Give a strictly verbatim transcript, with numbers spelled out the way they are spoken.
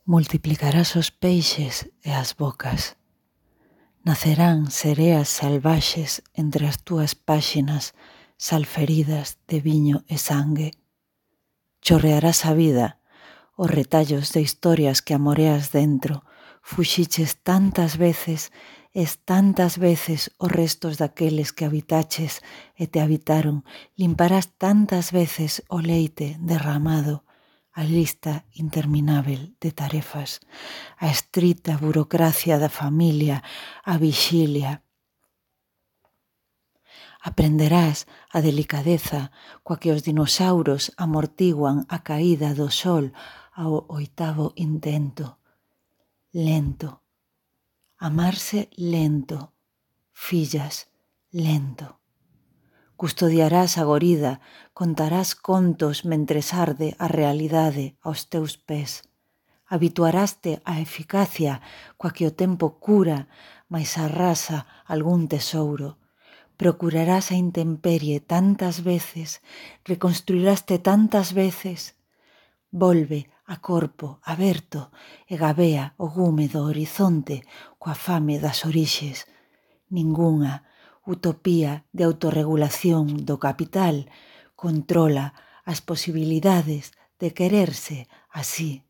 Multiplicarás os peixes e as bocas. Nacerán sereas salvaxes entre as túas páxinas salferidas de viño e sangue. Chorrearás a vida, os retallos de historias que amoreas dentro. Fuxiches tantas veces, es tantas veces os restos daqueles que habitaches e te habitaron. Limparás tantas veces o leite derramado, a lista interminável de tarefas, a estrita burocracia da familia, a vixilia. Aprenderás a delicadeza coa que os dinosauros amortiguan a caída do sol ao oitavo intento. Lento. Amarse lento. Fillas, lento. Custodiarás a gorida, contarás contos mentres arde a realidade aos teus pés. Habituaraste á eficacia coa que o tempo cura, mais arrasa algún tesouro. Procurarás a intemperie tantas veces, reconstruiraste tantas veces. Volve a corpo aberto e gabea o gume do horizonte coa fame das orixes. Ningunha utopía de autorregulación do capital controla as posibilidades de quererse así.